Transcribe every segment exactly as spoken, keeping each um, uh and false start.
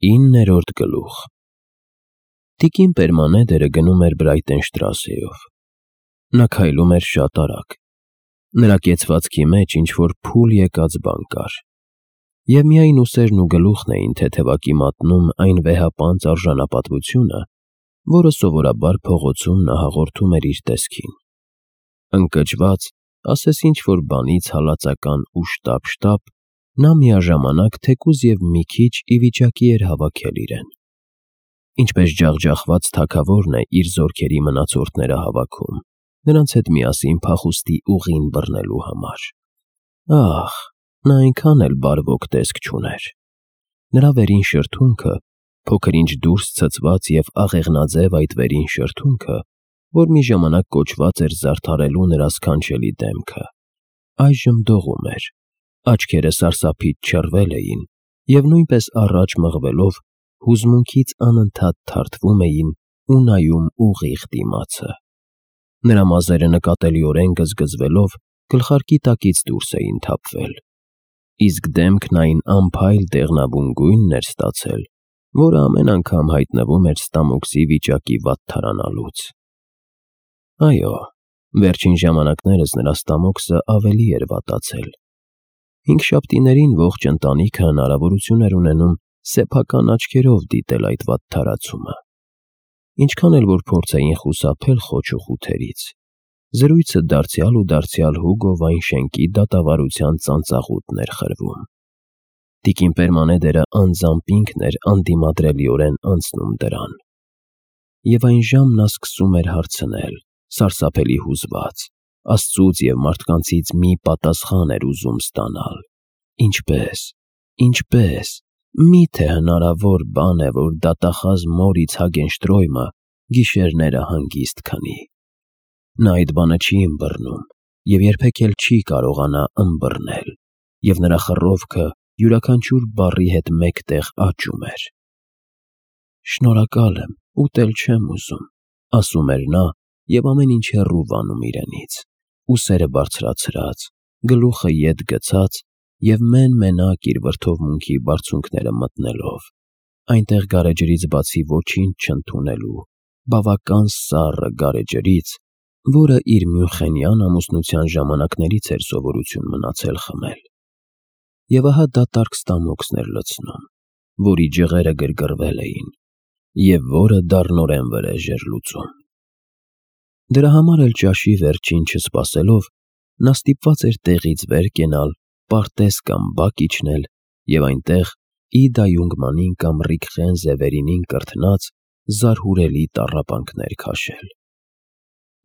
Իններորդ գլուխ Տիկին Պերմանեդերը գնում էր Բրայտենշտրասեով։ Նա քայլում էր շատ արագ։ Նրա կեցվածքի մեջ ինչ-որ փուլ եկած բան կար, և միայն ուսերն ու գլուխն էին թեթևակի մատնում այն վեհապանծ արժանապատվությունը, որը սովորաբար փողոցում նա հաղորդում էր իր տեսքին։ Ընկճված, ասես ինչ-որ բանից հալածական ու շտապ-շտապ, նա միաժամանակ թեկուզ և մի քիչ ի վիճակի էր հավաքել իրեն։ Ինչպես ջախջախված թագավորն է իր զորքերի մնացորդները հավաքում, նրանց հետ միասին փախուստի ուղին բռնելու համար։ Ահ, նա այնքան էլ բարվոք տեսք չուներ։ Նրա վերին շրթունքը, փոքր-ինչ դուրս ցցված և աղեղնաձև այդ վերին շրթունքը, որ մի ժամանակ կոչված էր զարդարելու նրա սքանչելի դեմքը, այժմ դողում էր, աչքերը սարսափից չռվել էին և նույնպես առաջ մղվելով հուզմունքից անընդհատ թարթվում էին ու նայում ուղիղ դիմացը։ Նրա մազերը նկատելիորեն գզգզվելով գլխարկի տակից դուրս էին թափվել, իսկ դեմքն այն անփայլ դեղնավուն գույնն էր ստացել, որը ամեն անգամ հայտնվում էր ստամոքսի վիճակի վատթարանալուց։ Այո, վերջին ժամանակներս նրա ստամոքսը ավելի էր վատացել։ Հինգշաբթիներին ողջ ընտանիքը հնարավորություն էր ունենում սեփական աչքերով դիտել այդ վատթարացումը։ Ինչքան էլ որ փորձեին խուսափել խոչ ու խութերից, զրույցը դարձյալ ու դարձյալ Հուգո Վայնշենկի դատավարության ծանծաղուտն էր խրվում։ Տիկին Պերմանեդերը անձամբ ինքն էր անդիմադրելիորեն անցնում դրան։ Եվ այն ժամն նա սկսում էր հարցնել, սարսափելի հուզված, Աստծուց և մարդկանցից մի պատասխան էր ուզում ստանալ։ Ինչպե՞ս, ինչպե՞ս, մի՞թե հնարավոր բան է, որ դատախազ մոր Իցհագենշտրոյմը գիշերները հանգիստ քնի։ Նա այդ բանը չի ըմբռնում և երբեք էլ չի կարողանա ըմբռնել, և նրա խռովքը յուրաքանչյուր բառի հետ մեկտեղ աճում էր։ «Շնորհակալ եմ, ուտել չեմ ուզում», ֊ ասում էր նա և ամեն ինչ հեռու վանում իրենից, ուսերը բարձրացրած, գլուխը ետ գցած և մեն֊մենակ իր վրդովմունքի բարձունքները մտնելով, այնտեղ գարեջրից բացի ոչինչ չընդունելու, բավական սառը գարեջրից, որը իր մյունխենյան ամուսնության ժամանակներից էր սովորություն մնացել խմել։ Եվ ահա դատարկ ստամոքսն էր լցնում, որի ջղերը գրգռվել էին, և որը դառնորեն վրեժ էր լուծում։ Դրա համար էլ ճաշի վերջին չսպասելով, նա ստիպված էր տեղից վեր կենալ, պարտեզ կամ բակ իջնել և այնտեղ Իդա Յունգմանին կամ Ռիկխեն Զևերինին կրթնած զարհուրելի տառապանքներ քաշել։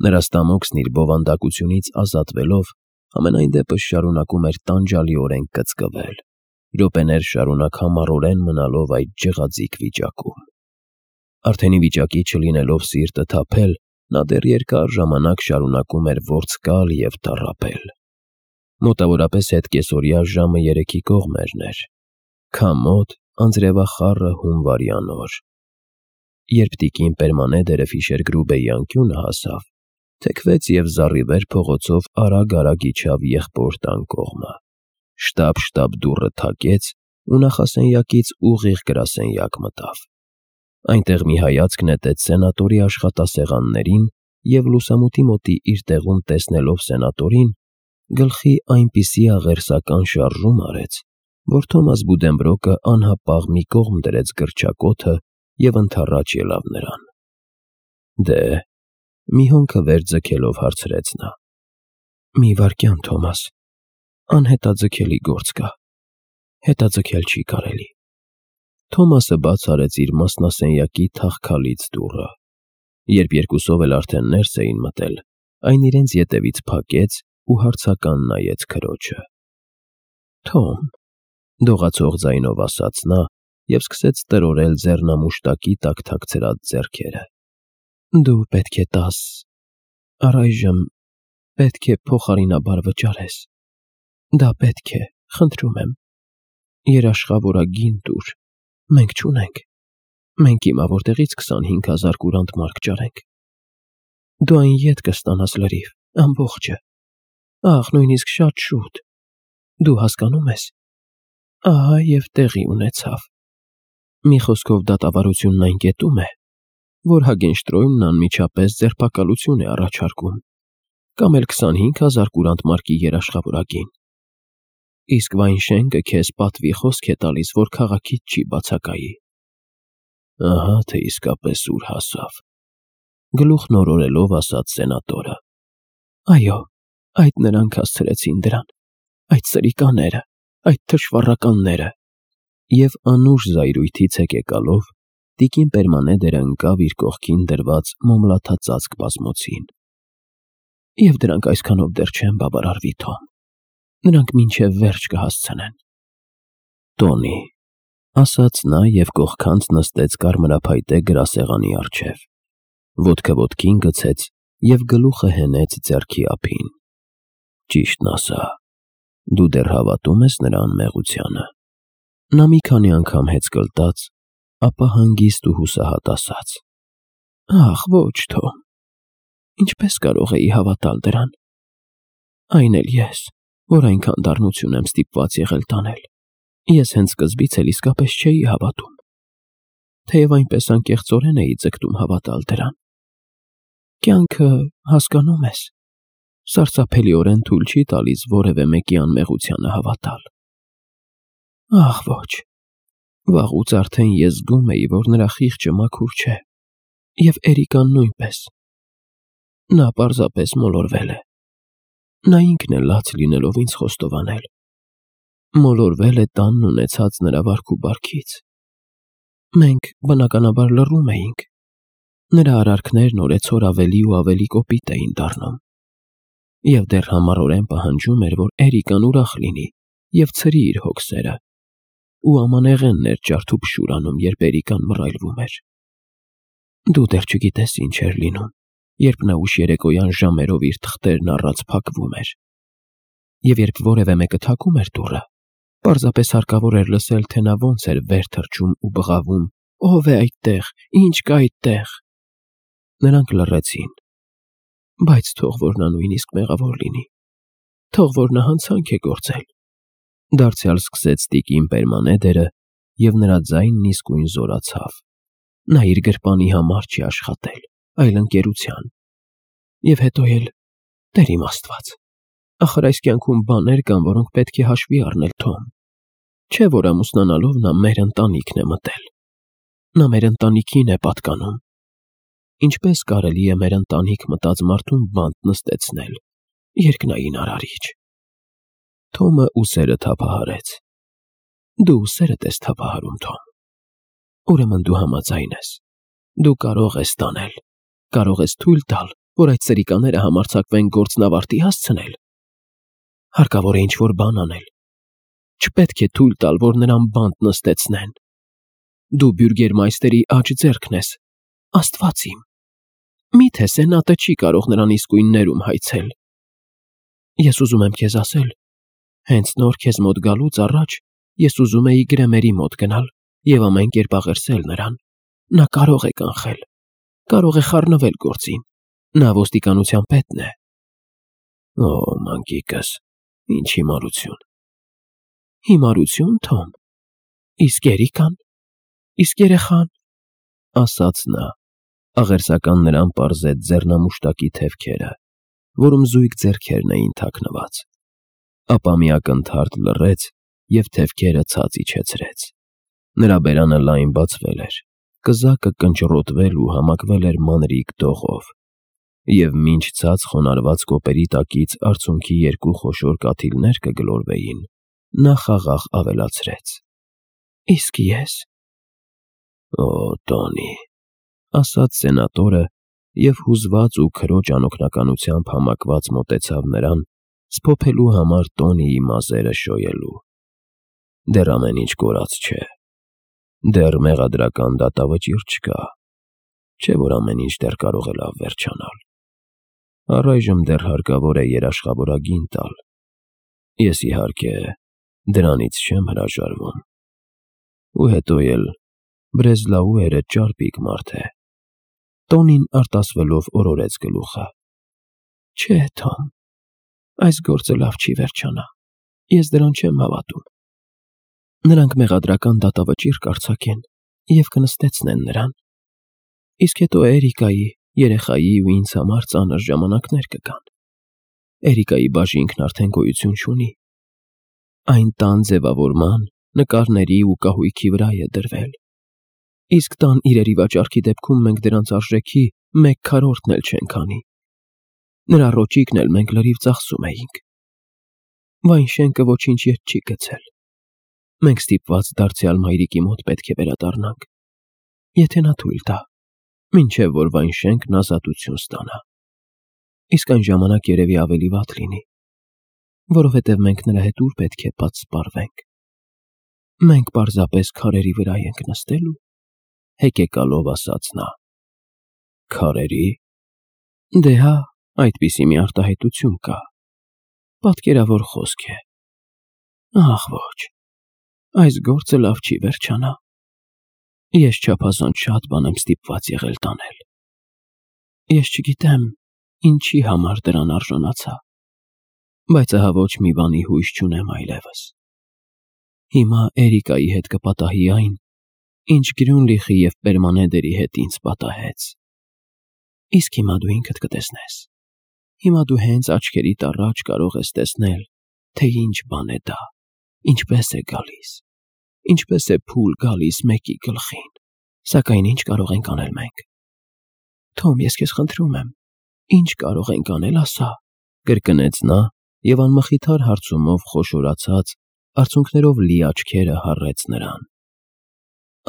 Նրա ստամոքսն իր բովանդակությունից ազատվելով, համենայն դեպս շարունակում էր տանջալիորեն կծկվել, րոպեներ շարունակ համառորեն մնալով այդ ջղաձիգ վիճակում։ Արդեն ի վիճակի չլինելով սիրտը թափել, նա դեռ երկար ժամանակ շարունակում էր որսկալ և տառապել։ Մոտավորապես հետկեսօրյա ժամը երեքի կողմերն էր, քամոտ, անձրևախառը հունվարյան օր։ Երբ տիկին Պերմանեդերը Ֆիշերգրուբեի անկյունը հասավ, թեքվեց և զառիվեր փողոցով արագ֊արագ իջավ եղբոր տան կողմը, շտապ֊շտապ դուռը թակեց ու նախասենյակից ուղիղ գրասենյակ մտավ։ Այնտեղ մի հայացք նետեց սենատորի աշխատասեղաններին և լուսամուտի մոտի իր տեղում տեսնելով սենատորին, գլխի այնպիսի աղերսական շարժում արեց, որ Թոմաս Բուդենբրոկը անհապաղ մի կողմ դրեց գրչակոթը և ընդառաջ ելավ նրան։ Դե՞, մի հոնքը վեր ձգելով հարցրեց նա։ Մի վայրկյան, Թոմաս, անհետաձգելի գործ կա, հետաձգել չի կարելի։ Թոմասը բաց արեց իր մասնասենյակի թախքալից դուռը։ Երբ երկուսով էլ արդեն ներս էին մտել, այն իրենց ետևից փակեց ու հարցական նայեց քրոջը։ Թոմ, դողացող ձայնով ասաց նա և սկսեց տրորել ձեռնամուշտակի տակ թաքցրած ձեռքերը։ Դու պետք է տաս, առայժմ պետք է փոխարինաբար վճարես։ Դա պետք է, խնդրում եմ, երաշխավորագին տուր, մենք չունենք, մենք հիմա որտեղից քսանհինգ հազար կուրանտ մարկ ճարենք։ Դու այն ետ կստանաս լրիվ, ամբողջը, ահ, նույնիսկ շատ շուտ, դու հասկանում ես, ահա և տեղի ունեցավ։ Մի խոսքով դատավարությունն այն կետում է, որ Հագենշտրոյմն անմիջապես ձերբակալություն է առաջարկում, կամ էլ քսանհինգ հազար կուրանտ մարկի երաշխավորագին, իսկ Վայնշենկը քեզ պատվի խոսք է տալիս, որ քաղաքից չի բացակայի։ Ահա թե իսկապես ուր հասավ, գլուխն օրորելով ասաց սենատորը։ Այո, այդ նրանք հասցրեցին դրան, այդ սրիկաները, այդ թշվառականները։ Եվ անուշ զայրույթից հեկեկալով տիկին Պերմանեդերը ընկավ իր կողքին դրված մոմլաթած ծածկ բազմոցին։ Եվ դրանք այսքանով դեռ չեն բավարարվի, Թոմ, նրանք մինչև վերջ կհասցնեն։ Տոնի, ասաց նա և կողքանց նստեց կարմրափայտե գրասեղանի առջև, ոտքը ոտքին գցեց և գլուխը հենեց ձեռքի ափին։ Ճիշտն ասա, դու դեռ հավատում ես նրա անմեղությանը։ Նա մի քանի անգամ հեծկլտաց, ապա հանգիստ ու հուսահատ ասաց. Ախ, ոչ, Թոմ, ինչպես կարող էի հավատալ դրան։ Այն էլ ես, որ այնքան դառնություն եմ ստիպված եղել տանել, ես հենց սկզբից էլ իսկապես չէի հավատում, թեև այնպես անկեղծորեն էի ձգտում հավատալ դրան։ Կյանքը, հասկանում ես, սարսափելիորեն թույլ չի տալիս որևէ մեկի անմեղությանը հավատալ։ Ախ, ոչ, վաղուց արդեն ես զգում էի, որ նրա խիղճը մաքուր չէ, և Էրիկան նույնպես։ Նա պարզապես մոլորվել է։ Նա ինքն է լաց լինելով ինձ խոստովանել։ Մոլորվել է տանն ունեցած նրա վարք ու բարքից։ Մենք, բնականաբար, լռում էինք։ Նրա արարքներն օրեցօր ավելի ու ավելի կոպիտ էին դառնում։ Եվ դեռ համառորեն պահանջում էր, որ Էրիկան ուրախ լինի և ցրի իր հոգսերը, ու ամանեղենն էր ջարդուփշուր անում, երբ Էրիկան մռայլվում էր։ Դու դեռ չգիտես ինչ էր լինում, երբ նա ուշ երեկոյան ժամերով իր թղթերն առած փակվում էր, և երբ որևէ մեկը թակում էր դուռը, պարզապես հարկավոր էր լսել, թե նա ոնց էր վեր թռչում ու բղավում. «Ո՞վ է այդտեղ, ի՞նչ կա այդտեղ»։ Նրանք լռեցին, բայց թող որ նա նույնիսկ մեղավոր լինի, թող որ նա հանցանք է գործել, դարձյալ սկսեց տիկին Պերմանեդերը, և նրա ձայնն իսկույն զորացավ։ Նա իր գրպանի համար չի աշխատել, այլ ընկերության։ Եվ հետո էլ, Տեր իմ Աստված, ախր այս կյանքում բաներ կան, որոնք պետք է հաշվի առնել, Թոմ։ Չէ՞ որ ամուսնանալով նա մեր ընտանիքն է մտել։ Նա մեր ընտանիքին է պատկանում։ Ինչպես կարելի է մեր ընտանիք մտած մարդուն բանտ նստեցնել, երկնային արարիչ։ Թոմը ուսերը թափահարեց։ Դու ուսերդ ես թափահարում, Թոմ։ Ուրեմն դու համաձայն ես։ Դու կարող ես տանել, կարող ես թույլ տալ, որ այդ սրիկաները համարձակվեն գործն ավարտի հասցնել։ Հարկավոր է ինչ-որ բան անել։ Չպետք է թույլ տալ, որ նրան բանտ նստեցնեն։ Դու բյուրգերմայստերի աջ ձեռքն ես, Աստված իմ։ Մի՞թե Սենատը չի կարող նրան իսկույն ներում հայցել։ Ես ուզում եմ քեզ ասել, հենց նոր քեզ մոտ գալուց առաջ ես ուզում էի Գրեմերի մոտ գնալ և ամեն կերպ աղերսել նրան։ Նա կարող է կանխել, կարող է խառնվել գործին։ Նա ոստիկանության պետն է։ Օ, մանկիկս, ինչ հիմարություն։ Հիմարություն, Թոմ։ Իսկ Էրիկան, իսկ երեխան, ասաց նա, աղերսական նրան պարզեց ձեռնամուշտակի թևքերը, որում զույգ ձեռքերն էին թաքնված, ապա մի ակնթարթ լռեց և թևքերը ցած իջեցրեց։ Նրա բերանը լայն բացվել էր, կզակը կնճռոտվել ու համակվել էր մանրիկ դողով, և մինչ ցած խոնարհված կոպերի տակից արցունքի երկու խոշոր կաթիլներ կգլորվեին, նա խաղաղ ավելացրեց. Իսկ ես… Օ, Տոնի, ասաց սենատորը և հուզված ու քրոջ անօգնականությամբ համակված մոտեցավ նրան, սփոփելու համար Տոնիի մազերը շոյելու։ Դեռ ամեն ինչ կորած չէ։ Դեռ մեղադրական դատավճիռ չկա, չէ՞ որ ամեն ինչ դեռ կարող է լավ վերջանալ։ Առայժմ դեռ հարկավոր է երաշխավորագին տալ։ Ես, իհարկե, դրանից չեմ հրաժարվում։ Ու հետո էլ Բրեզլաուերը ճարպիկ մարդ է։ Տոնին արտասվելով օրորեց գլուխը։ Չէ, Թոմ, այս գործը լավ չի վերջանա։ Ես դրան չեմ հավատում։ Նրանք մեղադրական դատավճիռ կարձակեն, և կնստեցնեն նրան։ Իսկ հետո Էրիկայի, երեխայի ու ինձ համար ծանր ժամանակներ կգան։ Էրիկայի բաժինքն արդեն գոյություն չունի։ Այն տան ձևավորման, նկարների ու կահույքի վրա է դրվել։ Իսկ տան իրերի վաճառքի դեպքում մենք դրանց արժեքի մեկ քառորդն էլ չենք անի։ Նրա ռոճիկն էլ մենք լրիվ ծախսում էինք։ Վայնշենքը ոչինչ ետ չի գցել։ Մենք ստիպված դարձյալ մայրիկի մոտ պետք է վերադառնանք, եթե նա թույլ տա, մինչև որ Վայնշենքն ազատություն ստանա։ Իսկ այն ժամանակ երևի ավելի վատ լինի, որովհետև մենք նրա հետ ուր պետք է պատսպարվենք։ Մենք պարզապես քարերի վրա ենք նստելու, հեկեկալով ասաց նա։ Քարերի՞։ Դե հա, այդպիսի մի արտահայտություն կա։ Պատկերավոր խոսք է։ Ախ ոչ, այս գործը լավ չի վերջանա։ Ես չափազանց շատ բան եմ ստիպված եղել տանել։ Ես չգիտեմ ինչի համար դրան արժանացա, բայց ահա ոչ մի բանի հույս չունեմ այլևս։ Հիմա Էրիկայի հետ կպատահի այն, ինչ Գրյունլիխի և Պերմանեդերի հետ ինձ պատահեց։ Իսկ հիմա դու ինքդ կտեսնես։ Հիմա դու հենց աչքերիդ առաջ կարող ես տեսնել, թե ինչ բան է դա, ինչպես է գալիս, ինչպես է փուլ գալիս մեկի գլխին։ Սակայն ինչ կարող ենք անել մենք։ Թոմ, ես քեզ խնդրում եմ, ինչ կարող ենք անել, ասա, կրկնեց նա և անմխիթար հարցումով խոշորացած, արցունքներով լի աչքերը հառեց նրան։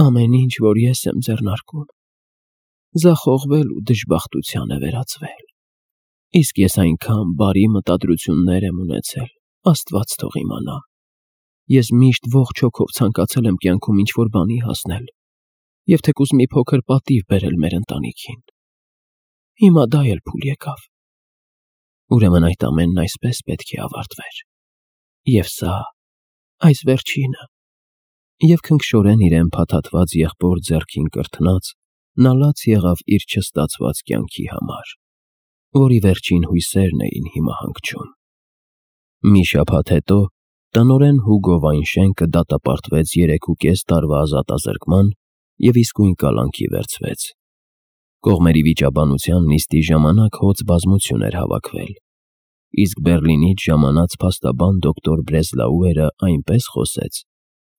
Ամեն ինչ, որ ես եմ ձեռնարկում, ձախողվել ու դժբախտության է վերածվել։ Իսկ ես այնքան բարի մտադրություններ եմ ունեցել, Աստված թող իմանա։ Ես միշտ ողջ հոգով ցանկացել եմ կյանքում ինչ-որ բանի հասնել և թեկուզ մի փոքր պատիվ բերել մեր ընտանիքին։ Հիմա դա էլ փուլ եկավ։ Ուրեմն այդ ամենն այսպես պետք է ավարտվեր։ Եվ սա, այս վերջինը։ Եվ քնքշորեն իրեն փաթաթված եղբոր ձեռքին կրթնած, նա լաց եղավ իր չստացված կյանքի համար, որի վերջին հույսերն էին հիմա հանգչում։ Մի շաբաթ հետո տնօրեն Հուգո Վայնշենկը դատապարտվեց երեքուկես տարվա ազատազրկման և իսկույն կալանքի վերցվեց։ Կողմերի վիճաբանության նիստի ժամանակ հոծ բազմություն էր հավաքվել, իսկ Բեռլինից ժամանած փաստաբան դոկտոր Բրեզլաուերը այնպես խոսեց,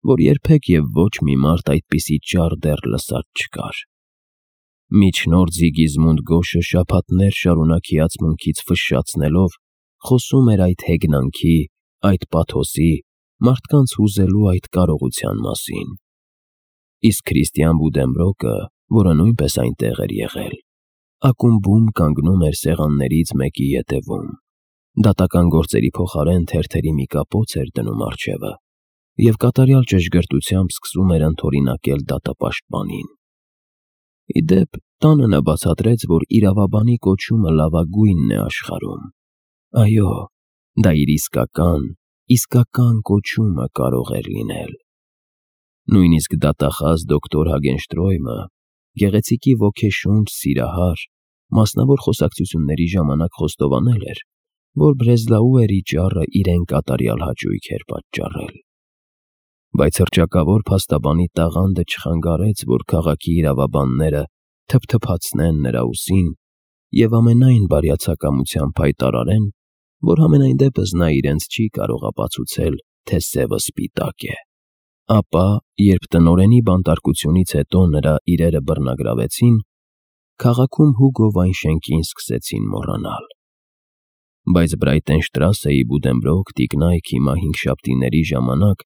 որ երբեք և ոչ մի մարդ այդպիսի ճառ դեռ լսած չկար։ Միջնորդ Զիգիզմունդ Գոշը շաբաթներ շարունակ հիացմունքից ֆշշացնելով խոսում էր այդ հեգնանքի, այդ պաթոսի, մարդկանց հուզելու այդ կարողության մասին։ Իսկ Քրիստիան Բուդենբրոկը, որը նույնպես այնտեղ էր եղել, ակումբում կանգնում էր սեղաններից մեկի ետևում, դատական գործերի փոխարեն թերթերի մի կապոց էր դնում առջևը և կատարյալ ճշգրտությամբ սկսում էր ընդօրինակել դատապաշտպանին։ Ի դեպ, տանը նա բացատրեց, որ իրավաբանի կոչումը լավագույնն է աշխարհում։ Այո, դա իր իսկական, իսկական կոչումը կարող էր լինել։ Նույնիսկ դատախազ դոկտոր Հագենշտրոյմը, գեղեցիկի ոգեշունչ սիրահար, մասնավոր խոսակցությունների ժամանակ խոստովանել էր, որ Բրեզլաուերի ճառը իրեն կատարյալ հաճույք էր պատճառել։ Բայց հռչակավոր փաստաբանի տաղանդը չխանգարեց, որ քաղաքի իրավաբանները թփթփացնեն նրա ուսին և ամենայն բարյացակամությամբ հայտարարեն, որ համենայն դեպս նա իրենց չի կարող ապացուցել, թե սևը սպիտակ է։ Ապա, երբ տնօրենի բանտարկությունից հետո նրա իրերը բռնագրավեցին, քաղաքում Հուգո Վայնշենկին սկսեցին մոռանալ։ Բայց Բրայտենշտրասեի Բուդենբրոկ տիկնայք հիմա հինգշաբթիների ժամանակ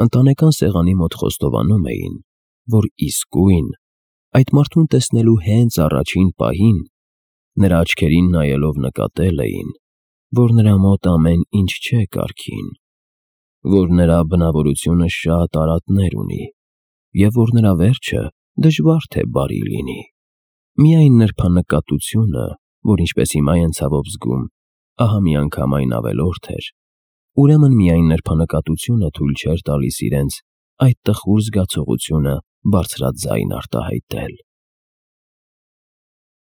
ընտանեկան սեղանի մոտ խոստովանում էին, որ իսկույն, այդ մարդուն տեսնելու հենց առաջին պահին, նրա աչքերին նայելով նկատել էին, որ նրա մոտ ամեն ինչ չէ կարգին, որ նրա բնավորությունը շատ արատներ ունի և որ նրա վերջը դժվար թե բարի լինի։ Միայն նրբանկատությունը, որ ինչպես հիմա են ցավով զգում, ահա միանգամայն ավելորդ էր, ուրեմն միայն նրբանկատությունը թույլ չէր տալիս իրենց այդ տխուր զգացողությունը բարձրաձայն արտահայտել։